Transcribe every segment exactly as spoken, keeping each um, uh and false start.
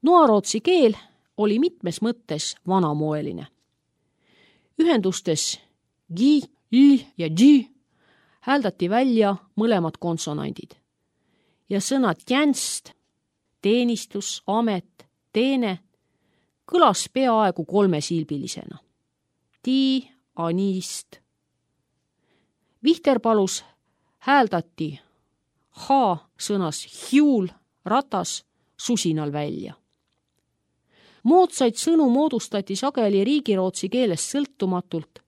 Noarootsi keel oli mitmes mõttes vanamoeline. Ühendustes gi, i ja gi hääldati välja mõlemad konsonandid ja sõna tjänst, teenistus, amet, teene kõlas peaaegu kolmesilbilisena. Ti, anist. Vihterpalus hääldati h sõnas hiul, ratas, susinal välja. Moodsaid sõnu moodustati sageli riigirootsi keelest sõltumatult,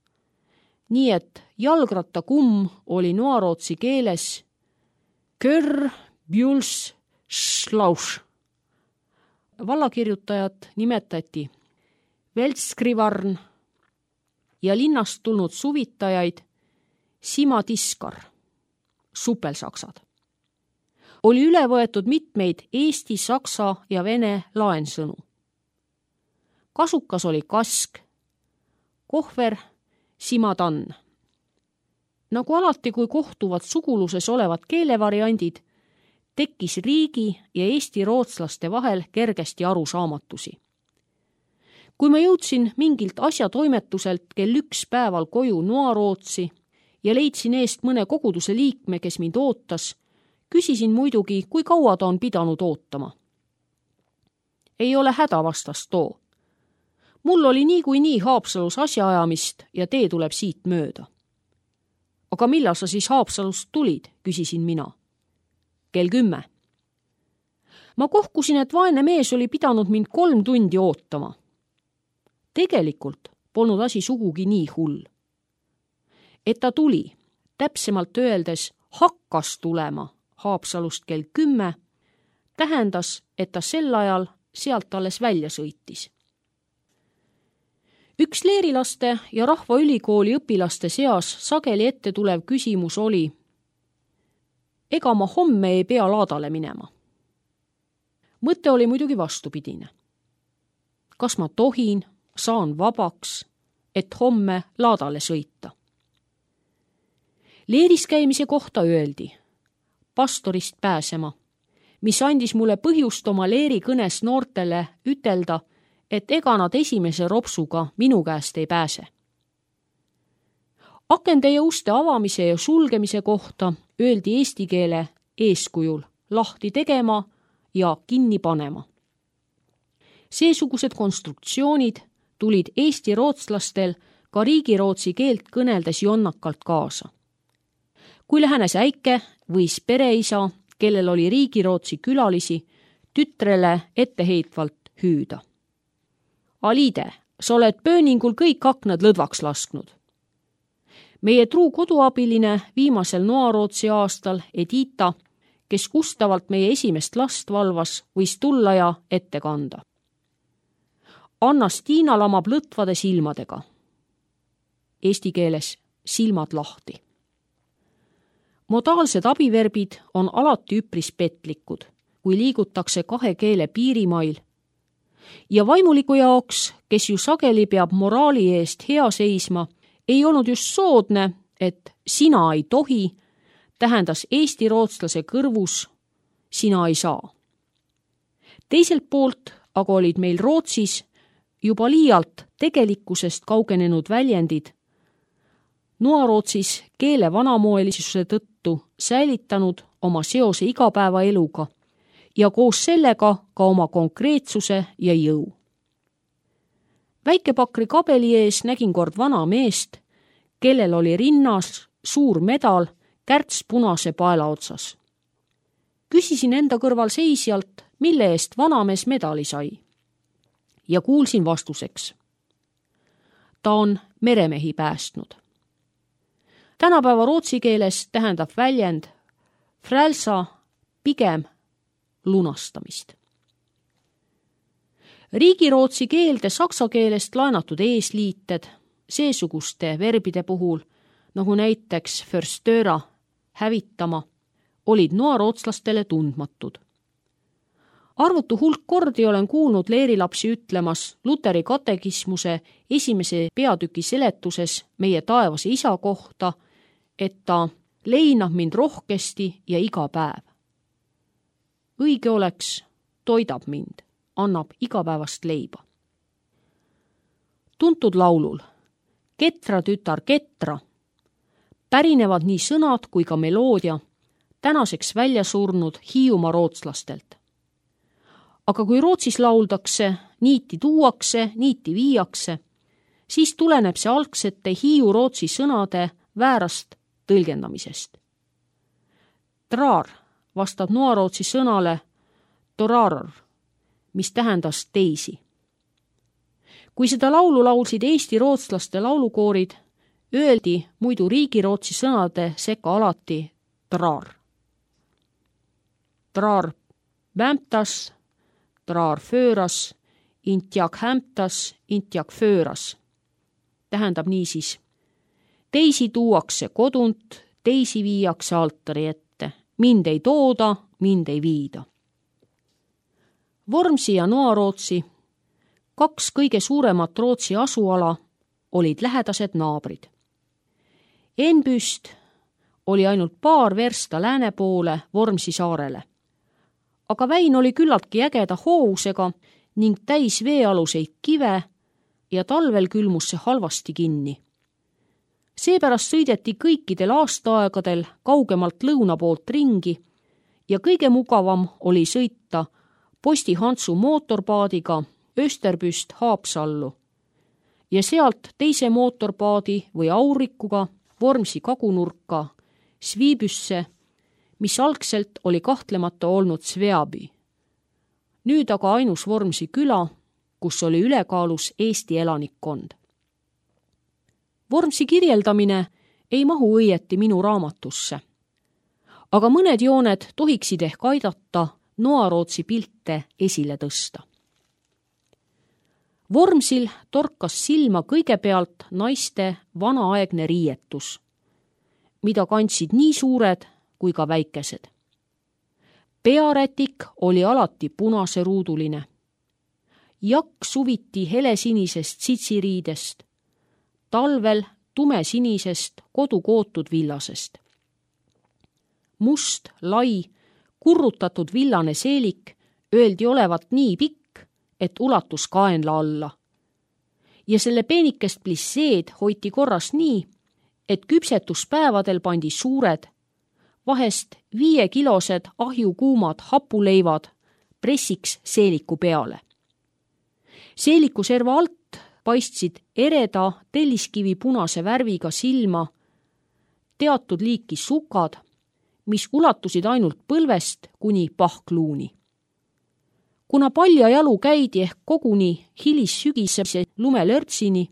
nii et jalgrattakumm oli noarootsi keeles kör, bjuls, šlauš. Vallakirjutajat nimetati veltskrivarn ja linnast tulnud suvitajaid simadiskar, supelsaksad. Oli üle võetud mitmeid eesti, saksa ja vene laensõnu. Kasukas oli kask, kohver, simatann. Nagu alati, kui kohtuvad suguluses olevad keelevariandid, tekkis riigi ja eesti rootslaste vahel kergesti arusaamatusi. Kui ma jõudsin mingilt asjatoimetuselt kell üks päeval koju Noarootsi ja leidsin eest mõne koguduse liikme, kes mind ootas, küsisin muidugi, kui kaua ta on pidanud ootama. Ei ole häda, vastas too. Mul oli nii kui nii Haapsalus asjaajamist ja tee tuleb siit mööda. Aga millal sa siis Haapsalust tulid, küsisin mina. Kell kümme. Ma kohkusin, et vaene mees oli pidanud mind kolm tundi ootama. Tegelikult polnud asi sugugi nii hull. Et ta tuli, täpsemalt öeldes hakkas tulema Haapsalust kell kümme, tähendas, et ta sel ajal sealt alles välja sõitis. Üks leerilaste ja Rahvaülikooli õpilaste seas sageli ette tulev küsimus oli, ega ma homme ei pea laadale minema. Mõte oli muidugi vastupidine. Kas ma tohin, saan vabaks, et homme laadale sõita? Leeris käimise kohta öeldi, pastorist pääsema, mis andis mulle põhjust oma leeri kõnes noortele ütelda, et ega nad esimese ropsuga minu käest ei pääse. Akende ja uste avamise ja sulgemise kohta öeldi eesti keele eeskujul lahti tegema ja kinni panema. Seesugused konstruktsioonid tulid eesti rootslastel ka riigirootsi keelt kõneldes jonnakalt kaasa. Kui lähenes äike võis pereisa, kellel oli riigirootsi külalisi, tütrele etteheitvalt hüüda. Alide, sa oled pööningul kõik aknad lõdvaks lasknud. Meie truu koduabiline viimasel Noarootsi aastal Edita, kes ustavalt meie esimest last valvas, võis tulla ja ette kanda. Anna Stiina lamab lõtvade silmadega. Eesti keeles silmad lahti. Modaalsed abiverbid on alati üpris petlikud, kui liigutakse kahe keele piirimail. Ja vaimuliku jaoks, kes ju sageli peab moraali eest hea seisma, ei olnud just soodne, et sina ei tohi, tähendas eesti rootslase kõrvus sina ei saa. Teiselt poolt aga olid meil Rootsis juba liialt tegelikkusest kaugenenud väljendid Noarootsis keele vanamoelisuse tõttu säilitanud oma seose igapäevaeluga ja koos sellega ka oma konkreetsuse ja jõu. Väikepakri kabeli ees nägin kord vana meest, kellel oli rinnas suur medal kärts punase paela otsas. Küsisin enda kõrval seisjalt, mille eest vanamees medali sai. Ja kuulsin vastuseks. Ta on meremehi päästnud. Tänapäeva rootsi keeles tähendab väljend frälsa pigem lunastamist. Riigirootsi keelde saksa keelest laenatud eesliited seesuguste verbide puhul, nagu näiteks förstöra, hävitama, olid noarootslastele tundmatud. Arvutu hulk kordi olen kuulnud leerilapsi ütlemas Luteri katekismuse esimese peatüki seletuses meie taevase isa kohta, et ta leinab mind rohkesti ja iga päev. Õige oleks, toidab mind, annab igapäevast leiba. Tuntud laulul Ketra tütar Ketra pärinevad nii sõnad kui ka meloodia tänaseks välja surnud Hiiumaa rootslastelt. Aga kui Rootsis lauldakse, niiti tuuakse, niiti viiakse, siis tuleneb see algsete Hiiu-Rootsi sõnade väärast tõlgendamisest. Trar vastab noarootsi sõnale toraror, mis tähendas teisi. Kui seda laulu laulsid Eesti rootslaste laulukoorid, öeldi muidu riigirootsi sõnade sekka alati trar. Trar vämtas, trar fööras, intjak hämtas, intjak fööras. Tähendab niisiis, teisi tuuakse kodunt, teisi viiakse altari ette, mind ei tooda, mind ei viida. Vormsi ja Noarootsi, kaks kõige suuremat Rootsi asuala, olid lähedased naabrid. Enbüst oli ainult paar versta lääne poole Vormsi saarele. Aga väin oli küllaltki ägeda hoovusega ning täis veealuseid kive ja talvel külmus see halvasti kinni. Seepärast sõideti kõikidel aastaaegadel kaugemalt lõuna poolt ringi ja kõige mugavam oli sõita Posti Hantsu mootorpaadiga Österbüst Haapsallu ja sealt teise mootorpaadi või aurikuga Vormsi kagunurka Sviibüsse, mis algselt oli kahtlemata olnud Sveabi. Nüüd aga ainus Vormsi küla, kus oli ülekaalus Eesti elanikkond. Vormsi kirjeldamine ei mahu õieti minu raamatusse, aga mõned jooned tohiksid ehk aidata Noarootsi pilte esile tõsta. Vormsil torkas silma kõigepealt naiste vanaaegne riietus, mida kandsid nii suured kui ka väikesed. Pearätik oli alati punaseruuduline. Jakk suviti helesinisest sitsiriidest, talvel tumesinisest kodukootud villasest. Must, lai, kurrutatud villane seelik öeldi olevat nii pikk, et ulatus kaenla alla. Ja selle peenikest plisseed hoiti korras nii, et küpsetuspäevadel pandi suured, vahest viiekilosed ahjukuumad hapuleivad pressiks seeliku peale. Seeliku serva alt paistsid ereda telliskivi punase värviga silma teatud liiki sukad, mis ulatusid ainult põlvest kuni pahkluuni. Kuna palja jalu käidi ehk koguni hilissügisese lumelörtsini,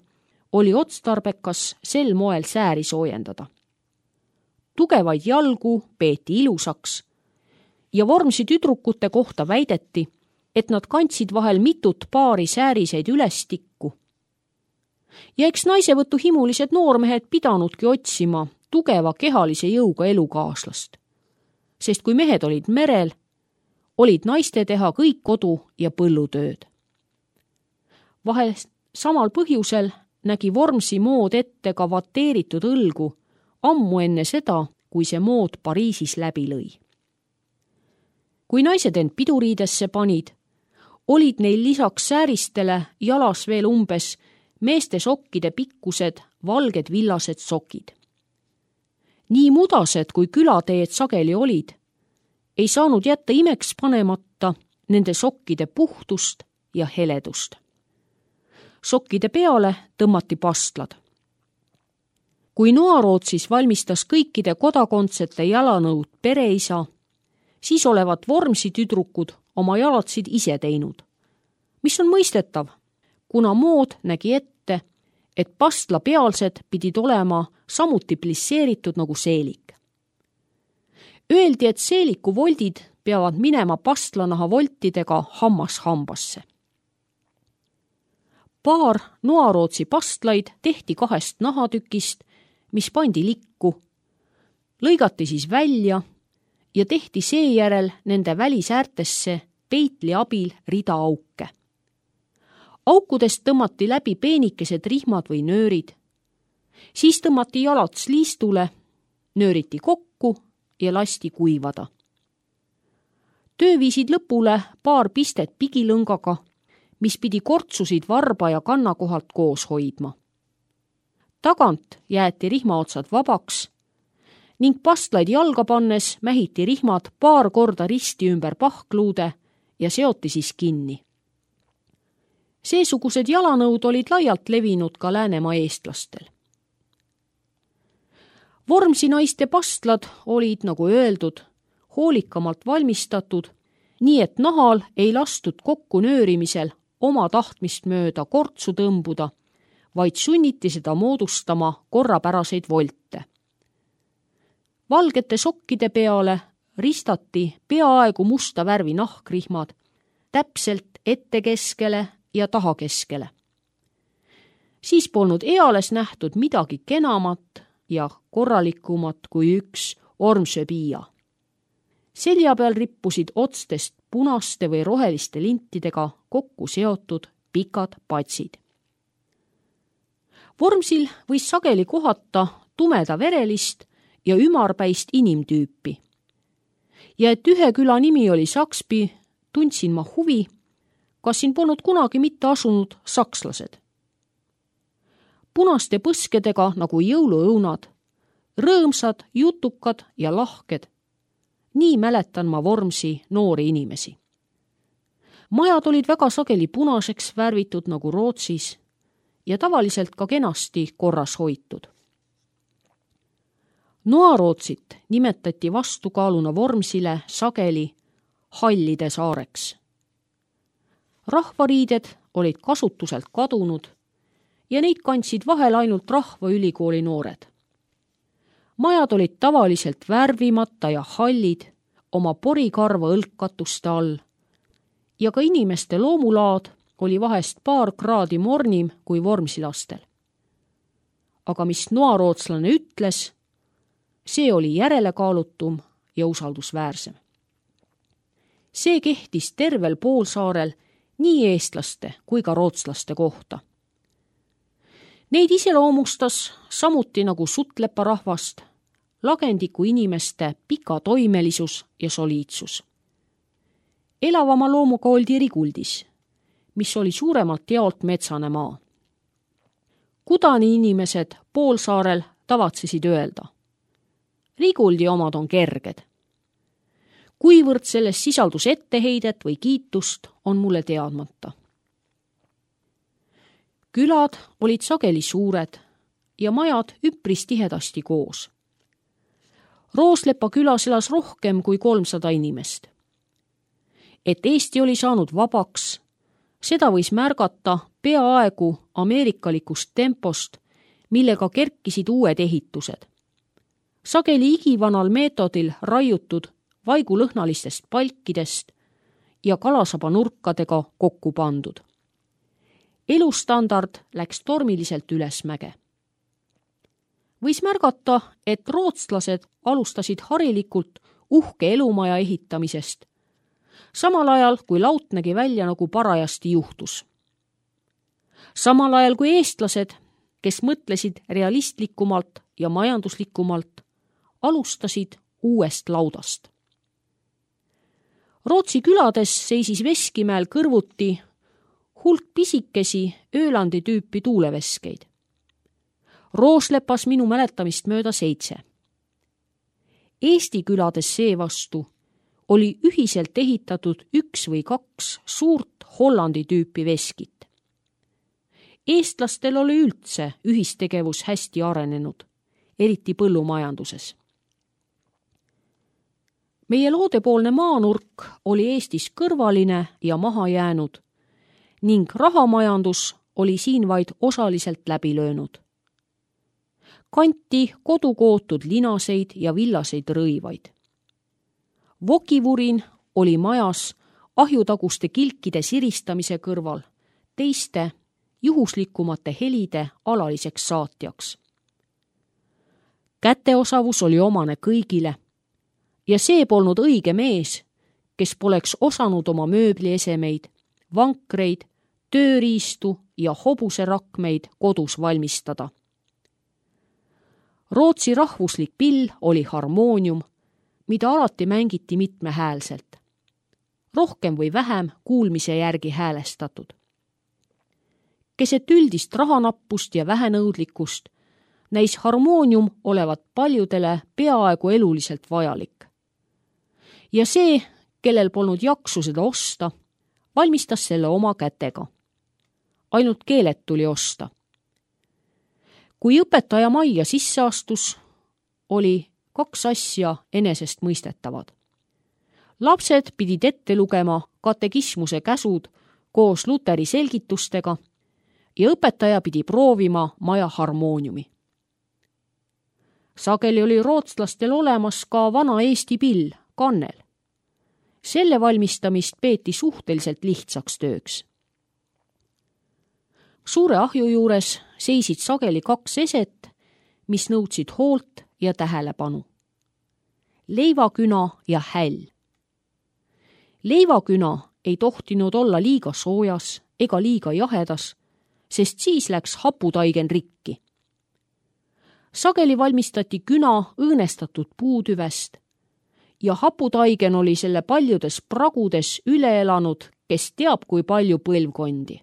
oli otstarbekas sel moel sääri soojendada. Tugevaid jalgu peeti ilusaks ja Vormsi tüdrukute kohta väideti, et nad kandsid vahel mitut paari sääriseid ülestikku. Ja eks naisevõtu himulised noormehed pidanudki otsima tugeva kehalise jõuga elukaaslast. Sest kui mehed olid merel, olid naiste teha kõik kodu- ja põllutööd. Vahel samal põhjusel nägi Vormsi mood ette ka vateeritud õlgu ammu enne seda, kui see mood Pariisis läbi lõi. Kui naised end piduriidesse panid, olid neil lisaks sääristele jalas veel umbes meeste sokkide pikkused valged villased sokid. Nii mudased kui külateed sageli olid, ei saanud jätta imeks panemata nende sokkide puhtust ja heledust. Sokkide peale tõmmati pastlad. Kui Noarootsis valmistas kõikide kodakondsete jalanõud pereisa, siis olevat Vormsi tüdrukud oma jalatsid ise teinud, mis on mõistetav, kuna mood nägi ette, et pastla pealsed pidid olema samuti plisseeritud nagu seelik. Öeldi, et seeliku voldid peavad minema pastlanaha voltidega hammas hambasse. Paar Noarootsi pastlaid tehti kahest nahatükist, mis pandi likku, lõigati siis välja ja tehti seejärel nende välisäärtesse peitli abil rida auke. Aukudest tõmmati läbi peenikesed rihmad või nöörid. Siis tõmmati jalad sliistule, nööriti kokku ja lasti kuivada. töö viisid lõpule paar pistet pigilõngaga, mis pidi kortsusid varba ja kanna kohalt koos hoidma. Tagant jäeti rihmaotsad vabaks ning pastlaid jalga pannes mähiti rihmad paar korda risti ümber pahkluude ja seoti siis kinni. Seesugused jalanõud olid laialt levinud ka Läänemaa eestlastel. Vormsi naiste pastlad olid, nagu öeldud, hoolikamalt valmistatud, nii et nahal ei lastud kokku nöörimisel oma tahtmist mööda kortsu tõmbuda, vaid sunniti seda moodustama korrapäraseid volte. Valgete sokkide peale ristati peaaegu musta värvi nahkrihmad, täpselt ette keskele ja taha keskele. Siis polnud eales nähtud midagi kenamat ja korralikumat kui üks ormsööpiia. Selja peal rippusid otstest punaste või roheliste lintidega kokku seotud pikad patsid. Vormsil võis sageli kohata tumeda verelist ja ümarpäist inimtüüpi. Ja et ühe küla nimi oli Sakspi, tundsin ma huvi, kas siin polnud kunagi mitte asunud sakslased. Punaste põskedega nagu jõuluõunad, rõõmsad, jutukad ja lahked. Nii mäletan ma Vormsi noori inimesi. Majad olid väga sageli punaseks värvitud nagu Rootsis ja tavaliselt ka kenasti korras hoitud. Noarootsit nimetati vastukaaluna Vormsile sageli hallide saareks. Rahvariided olid kasutuselt kadunud ja neid kandsid vahel ainult rahvaülikooli noored. Majad olid tavaliselt värvimata ja hallid oma porikarva õlkkatuste all ja ka inimeste loomulaad oli vahest paar kraadi mornim kui vormsilastel. Aga mis noarootslane ütles, see oli järelekaalutum ja usaldusväärsem. See kehtis tervel poolsaarel nii eestlaste kui ka rootslaste kohta. Neid iseloomustas samuti nagu sutlepa rahvast, lagendiku inimeste pika toimelisus ja soliidsus. Elavama loomuga oldi Riguldis, mis oli suuremalt jaolt metsane maa. Kudani inimesed poolsaarel tavatsesid öelda: Riguldi omad on kerged. Kuivõrd selles sisaldus etteheidet või kiitust, on mulle teadmata. Külad olid sageli suured ja majad üpris tihedasti koos. Rooslepa külas elas rohkem kui kolmsada inimest. Et Eesti oli saanud vabaks, seda võis märgata peaaegu ameerikalikust tempost, millega kerkisid uued ehitused. Sageli igivanal meetodil raiutud vaigulõhnalistest palkidest ja kalasaba nurkadega kokku pandud. Elustandard läks tormiliselt ülesmäge. Võis märgata, et rootslased alustasid harilikult uhke elumaja ehitamisest, samal ajal kui laut nägi välja nagu parajasti juhtus. Samal ajal kui eestlased, kes mõtlesid realistlikumalt ja majanduslikumalt, alustasid uuest laudast. Rootsi külades seisis Veskimäel kõrvuti hulk pisikesi Öölandi tüüpi tuuleveskeid. Rooslepas minu mäletamist mööda seitse. Eesti külades seevastu oli ühiselt ehitatud üks või kaks suurt Hollandi tüüpi veskit. Eestlastel oli üldse ühistegevus hästi arenenud, eriti põllumajanduses. Meie loodepoolne maanurk oli Eestis kõrvaline ja maha jäänud ning rahamajandus oli siin vaid osaliselt läbi löönud. Kanti kodukootud linaseid ja villaseid rõivaid. Vokivurin oli majas ahjutaguste kilkide siristamise kõrval teiste juhuslikumate helide alaliseks saatjaks. Käteosavus oli omane kõigile ja see polnud õige mees, kes poleks osanud oma mööbliesemeid, vankreid, tööriistu ja hobuserakmeid kodus valmistada. Rootsi rahvuslik pill oli harmoonium, mida alati mängiti mitmehäälselt. rohkem või vähem kuulmise järgi häälestatud. Keset üldist rahanappust ja vähenõudlikkust näis harmoonium olevat paljudele peaaegu eluliselt vajalik. Ja see, kellel polnud jaksu seda osta, valmistas selle oma kätega. Ainult keeled tuli osta. Kui õpetaja majja sisse astus, oli kaks asja enesest mõistetavad. Lapsed pidid ette lugema katekismuse käsud koos Luteri selgitustega ja õpetaja pidi proovima maja harmooniumi. Sageli oli rootslastel olemas ka vana Eesti pill, kannel. Selle valmistamist peeti suhteliselt lihtsaks tööks. Suure ahju juures seisid sageli kaks eset, mis nõudsid hoolt ja tähelepanu. Leivaküna ja häll. Leivaküna ei tohtinud olla liiga soojas ega liiga jahedas, sest siis läks haputaigen rikki. Sageli valmistati küna õõnestatud puutüvest ja haputaigen oli selle paljudes pragudes üle elanud, kes teab kui palju põlvkondi.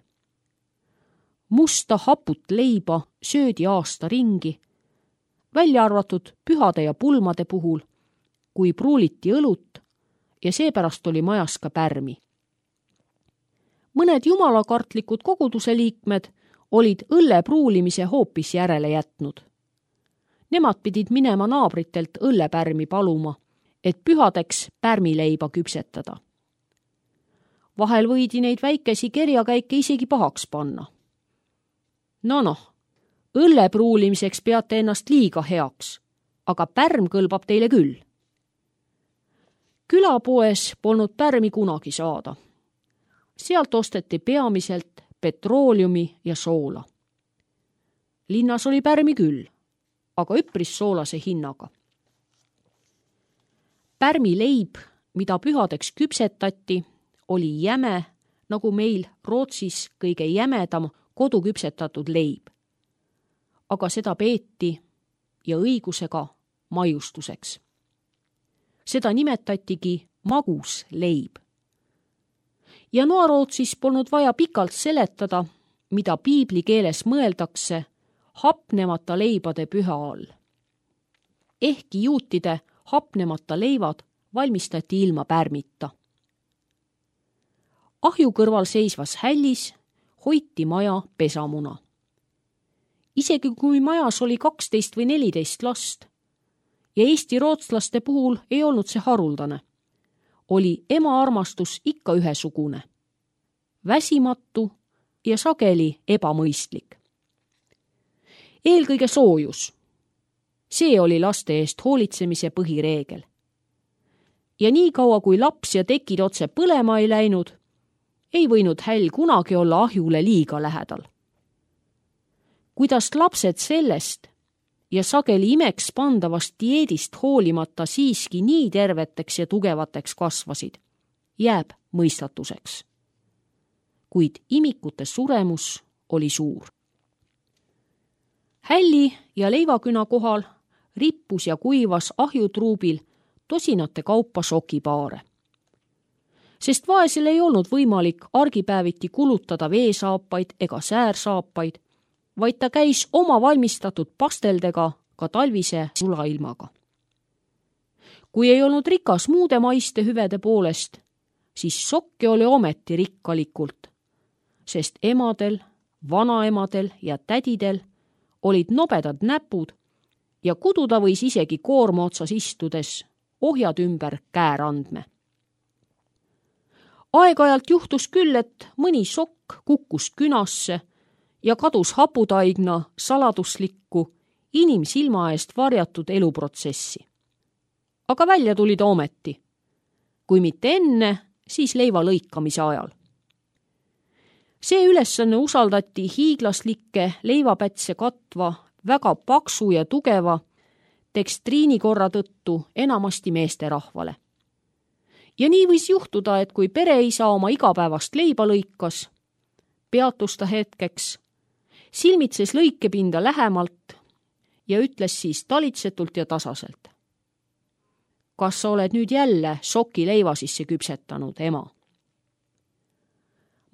Musta haput leiba söödi aasta ringi, välja arvatud pühade ja pulmade puhul, kui pruuliti õlut ja seepärast oli majas ka pärmi. Mõned jumalakartlikud koguduse liikmed olid õlle pruulimise hoopis järele jätnud. Nemad pidid minema naabritelt õllepärmi paluma, et pühadeks pärmileiba küpsetada. Vahel võidi neid väikesi kerjakäike isegi pahaks panna. No noh, õlle pruulimiseks peate ennast liiga heaks, aga pärm kõlbab teile küll. Külapoes polnud pärmi kunagi saada. Sealt osteti peamiselt petrooliumi ja soola. Linnas oli pärmi küll, aga üpris soolase hinnaga. Pärmileib, mida pühadeks küpsetati, oli jäme, nagu meil Rootsis kõige jämedam koduküpsetatud leib. Aga seda peeti ja õigusega maiustuseks. Seda nimetatigi magus leib. Ja Noa-Rootsis polnud vaja pikalt seletada, mida piibli keeles mõeldakse hapnemata leibade püha all. Ehkki juutide hapnemata leivad valmistati ilma pärmita. Ahju kõrval seisvas hällis hoiti maja pesamuna. Isegi kui majas oli kaksteist või neliteist last ja Eesti rootslaste puhul ei olnud see haruldane, oli ema armastus ikka ühesugune, väsimatu ja sageli ebamõistlik. Eelkõige soojus. See oli laste eest hoolitsemise põhireegel. Ja nii kaua, kui laps ja tekid otse põlema ei läinud, ei võinud häll kunagi olla ahjule liiga lähedal. Kuidas lapsed sellest ja sageli imeks pandavast dieedist hoolimata siiski nii terveteks ja tugevateks kasvasid, jääb mõistatuseks. Kuid imikute suremus oli suur. Hälli ja leivaküna kohal rippus ja kuivas ahjutruubil tosinate kaupa sokipaare. Sest vaesel ei olnud võimalik argipäeviti kulutada veesaapaid ega säärsaapaid, vaid ta käis oma valmistatud pasteldega ka talvise sulailmaga. Kui ei olnud rikas muude maiste hüvede poolest, siis sokke oli ometi rikkalikult, sest emadel, vanaemadel ja tädidel olid nobedad näpud ja kududa võis isegi koorma otsas istudes ohjad ümber käärandme. Aeg-ajalt juhtus küll, et mõni sokk kukkus künasse ja kadus haputaigna saladuslikku inimsilma eest varjatud eluprotsessi. Aga välja tuli ta ometi. Kui mitte enne, siis leiva lõikamise ajal. See ülesanne usaldati hiiglaslikke leivapätse katva väga paksu ja tugeva tekstriinikorra tõttu enamasti meesterahvale. Ja nii võis juhtuda, et kui pereisa oma igapäevast leiba lõikas, peatus ta hetkeks, silmitses lõikepinda lähemalt ja ütles siis talitsetult ja tasaselt. Kas sa oled nüüd jälle soki leiva sisse küpsetanud, ema?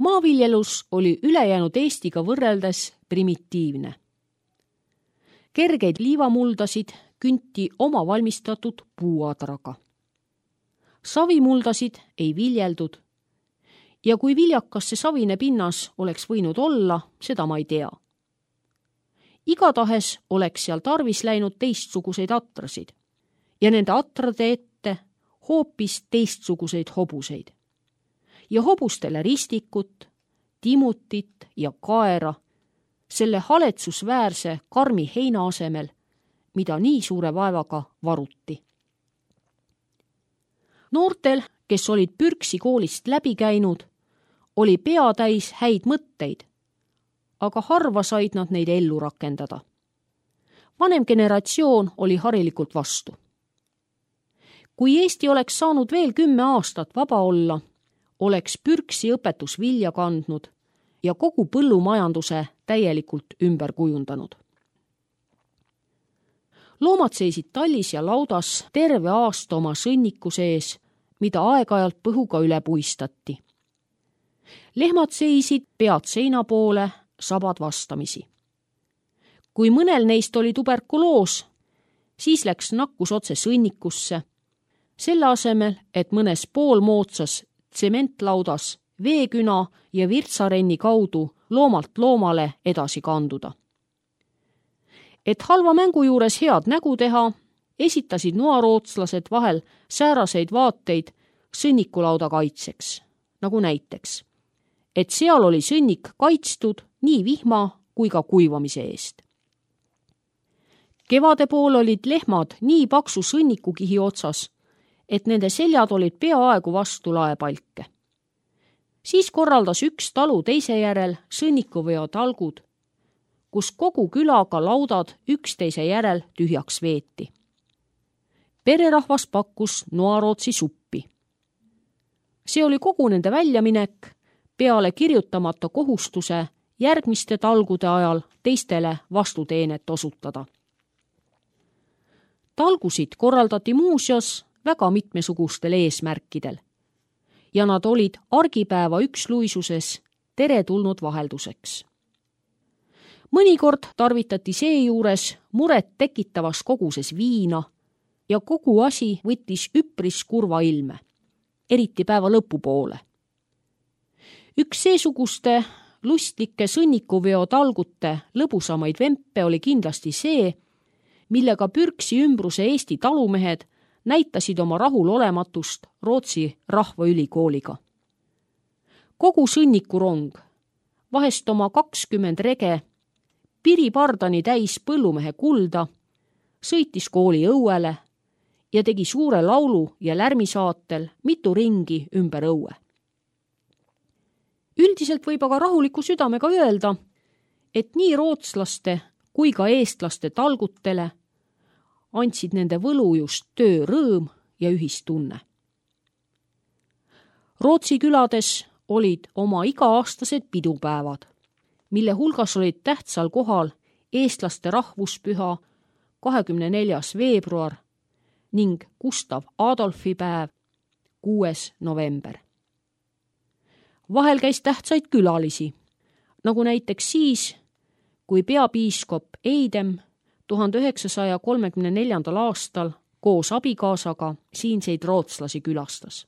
Maaviljelus oli ülejäänud Eestiga võrreldes primitiivne. Kergeid liivamuldasid künti oma valmistatud puuadraga. Savimuldasid ei viljeldud ja kui viljakas see savine pinnas oleks võinud olla, seda ma ei tea. Igatahes oleks seal tarvis läinud teistsuguseid atrasid ja nende atrade ette hoopis teistsuguseid hobuseid. Ja hobustele ristikut, timutit ja kaera selle haletsusväärse karmi heina asemel, mida nii suure vaevaga varuti. Noortel, kes olid Pürksi koolist läbi käinud, oli pea täis häid mõtteid, aga harva said nad neid ellu rakendada. Vanem generatsioon oli harilikult vastu. Kui Eesti oleks saanud veel kümme aastat vaba olla, oleks Pürksi õpetus vilja kandnud ja kogu põllumajanduse täielikult ümber kujundanud. Loomad seisid tallis ja laudas terve aasta oma sõnniku sees, mida aeg-ajalt põhuga üle puistati. Lehmad seisid pead seina poole, sabad vastamisi. Kui mõnel neist oli tuberkuloos, siis läks nakkus otse sõnnikusse, selle asemel, et mõnes poolmoodsas tsementlaudas veeküna ja virtsarenni kaudu loomalt loomale edasi kanduda. Et halva mängu juures head nägu teha, esitasid noarootslased vahel sääraseid vaateid sõnnikulauda kaitseks, nagu näiteks, et seal oli sõnnik kaitstud nii vihma kui ka kuivamise eest. Kevade pool olid lehmad nii paksu sõnnikukihi otsas, et nende seljad olid peaaegu vastu laepalke. Siis korraldas üks talu teise järel sõnnikuveo talgud, kus kogu külaga laudad üksteise järel tühjaks veeti. Pererahvas pakkus noarootsi suppi. See oli kogu nende väljaminek peale kirjutamata kohustuse järgmiste talgude ajal teistele vastuteenet osutada. Talgusid korraldati muuseas väga mitmesugustel eesmärkidel ja nad olid argipäeva üksluisuses teretulnud vahelduseks. Mõnikord tarvitati seejuures muret tekitavas koguses viina ja kogu asi võttis üpris kurva ilme, eriti päeva lõpupoole. Üks seesuguste lustlike sõnnikuveo talgute lõbusamaid vempe oli kindlasti see, millega Pürksi ümbruse Eesti talumehed näitasid oma rahulolematust Rootsi rahvaülikooliga. Kogu sõnnikurong, vahest oma kakskümmend rege, piripardani täis põllumehe kulda, sõitis kooli õuele ja tegi suure laulu ja lärmisaatel mitu ringi ümber õue. Üldiselt võib aga rahuliku südamega öelda, et nii rootslaste kui ka eestlaste talgutele andsid nende võlu just töö rõõm ja ühistunne. Rootsi külades olid oma iga-aastased pidupäevad, mille hulgas olid tähtsal kohal eestlaste rahvuspüha kahekümne neljas veebruar ning Gustav Adolfi päev kuues november. Vahel käis tähtsaid külalisi, nagu näiteks siis, kui peapiiskop Eidem tuhande üheksasaja kolmekümne neljandal aastal koos abikaasaga siinseid rootslasi külastas.